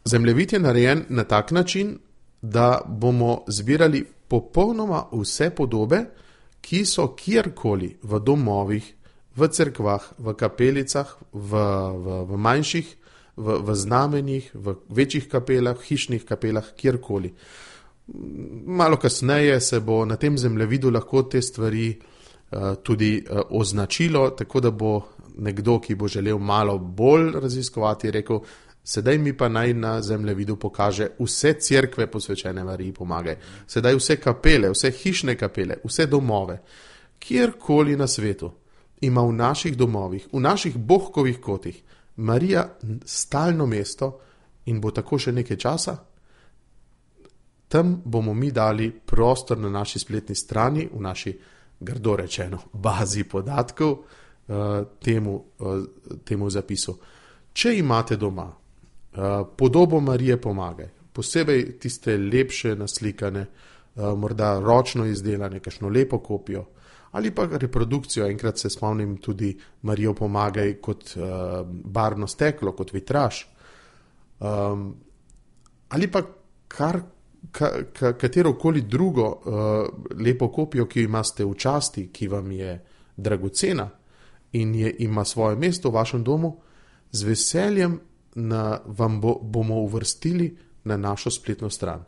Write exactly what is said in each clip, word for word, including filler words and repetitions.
Zemljevid je narejen na tak način, da bomo zbirali popolnoma vse podobe, ki so kjerkoli v domovih, v cerkvah, v kapelicah, v, v, v manjših, v, v znamenjih, v večjih kapelah, hišnih kapelah, kjerkoli. Malo kasneje se bo na tem zemljevidu lahko te stvari uh, tudi uh, označilo, tako da bo nekdo, ki bo želel malo bolj raziskovati, rekel, sedaj mi pa naj na zemljevidu pokaže vse cerkve posvečene Mariji Pomagaj, sedaj vse kapele, vse hišne kapele, vse domove, kjerkoli na svetu ima v naših domovih, v naših bohkovih kotih Marija stalno mesto in bo tako še nekaj časa. Tam bomo mi dali prostor na naši spletni strani, v naši, grdo rečeno, bazi podatkov uh, temu, uh, temu zapisu. Če imate doma uh, podobo Marije Pomagaj, posebej tiste lepše naslikane, uh, morda ročno izdelane, kakšno lepo kopijo, ali pa reprodukcijo, enkrat se spomnim tudi Marijo Pomagaj kot uh, barvno steklo, kot vitraž, um, ali pa kar Ka, ka, katerokoli drugo uh, lepo kopijo, ki jo imate v časti, ki vam je dragocena in je, ima svoje mesto v vašem domu, z veseljem na, vam bo, bomo uvrstili na našo spletno stran.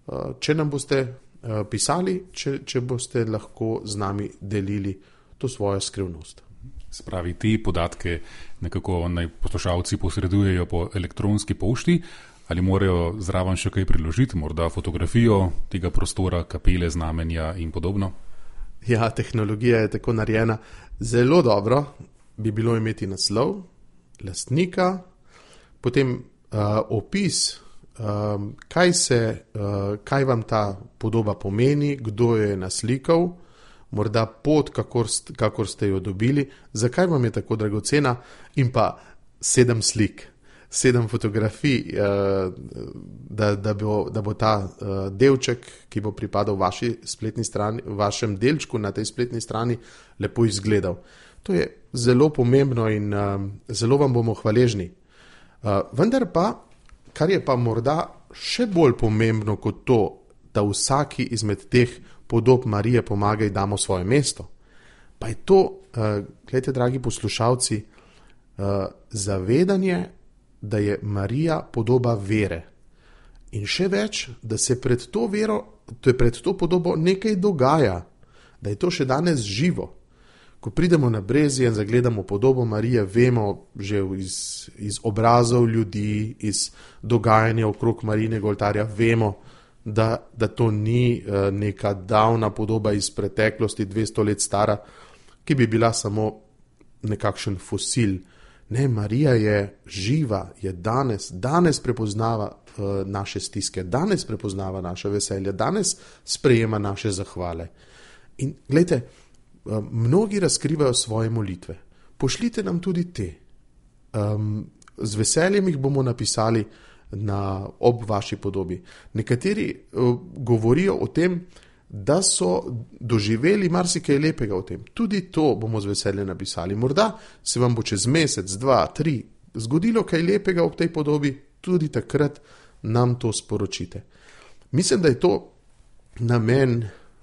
Uh, če nam boste uh, pisali, če, če boste lahko z nami delili to svojo skrivnost. Spravi, te podatke nekako naj poslušalci posredujejo po elektronski pošti, ali morajo zraven še kaj priložiti, morda fotografijo tega prostora, kapele, znamenja in podobno? Ja, tehnologija je tako narejena. Zelo dobro bi bilo imeti naslov, lastnika, potem uh, opis, um, kaj, se, uh, kaj vam ta podoba pomeni, kdo jo je naslikal, morda pot, kakor, kakor ste jo dobili, zakaj vam je tako dragocena in pa sedem slik. sedem fotografij, da, da, bo, da bo ta delček, ki bo pripadal vaši spletni strani, vašem delčku na tej spletni strani, lepo izgledal. To je zelo pomembno in zelo vam bomo hvaležni. Vendar pa, kar je pa morda še bolj pomembno kot to, da vsaki izmed teh podob Marije Pomagaj damo svoje mesto, pa je to, gledajte, dragi poslušalci, zavedanje, da je Marija podoba vere. In še več, da se pred to vero, to je pred to podobo nekaj dogaja, da je to še danes živo. Ko pridemo na Brezje in zagledamo podobo Marije, vemo že iz, iz obrazov ljudi, iz dogajanja okrog Marijinega oltarja, vemo, da, da to ni uh, neka davna podoba iz preteklosti, dvesto let stara, ki bi bila samo nekakšen fosil. Ne, Marija je živa, je danes, danes prepoznava uh, naše stiske, danes prepoznava naše veselje, danes sprejema naše zahvale. In gledajte, uh, mnogi razkrivajo svoje molitve. Pošljite nam tudi te. Um, z veseljem jih bomo napisali na, ob vaši podobi. Nekateri uh, govorijo o tem, da so doživeli marsikaj lepega o tem. Tudi to bomo z veseljem napisali. Morda se vam bo čez mesec, dva, tri zgodilo kaj lepega ob tej podobi, tudi takrat nam to sporočite. Mislim, da je to namen,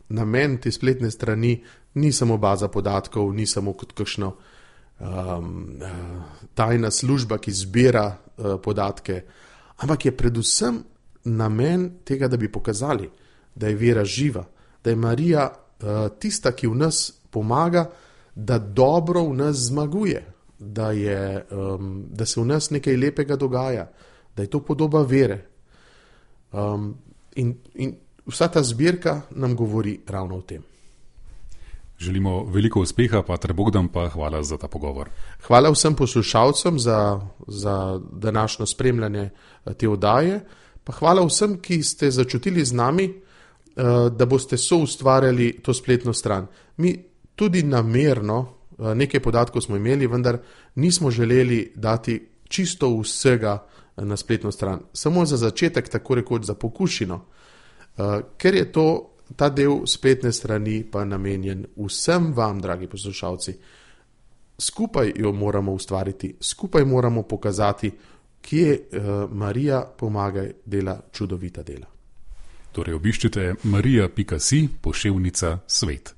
namen te spletne strani, ni samo baza podatkov, ni samo kot kakšno um, tajna služba, ki zbira uh, podatke, ampak je predvsem namen tega, da bi pokazali, da je vera živa, da je Marija uh, tista, ki v nas pomaga, da dobro v nas zmaguje, da, je, um, da se v nas nekaj lepega dogaja, da je to podoba vere. Um, in, in vsa ta zbirka nam govori ravno o tem. Želimo veliko uspeha, Pater Bogdan, pa hvala za ta pogovor. Hvala vsem poslušalcem za, za današnjo spremljanje te oddaje, pa hvala vsem, ki ste začutili z nami, da boste soustvarjali to spletno stran. Mi tudi namerno, nekaj podatkov smo imeli, vendar nismo želeli dati čisto vsega na spletno stran. Samo za začetek, tako rekoč za pokušino, ker je to, ta del spletne strani pa namenjen vsem vam, dragi poslušalci. Skupaj jo moramo ustvariti, skupaj moramo pokazati kje uh, Marija Pomagaj dela čudovita dela. Torej obiščite marija pika si, poševnica svet.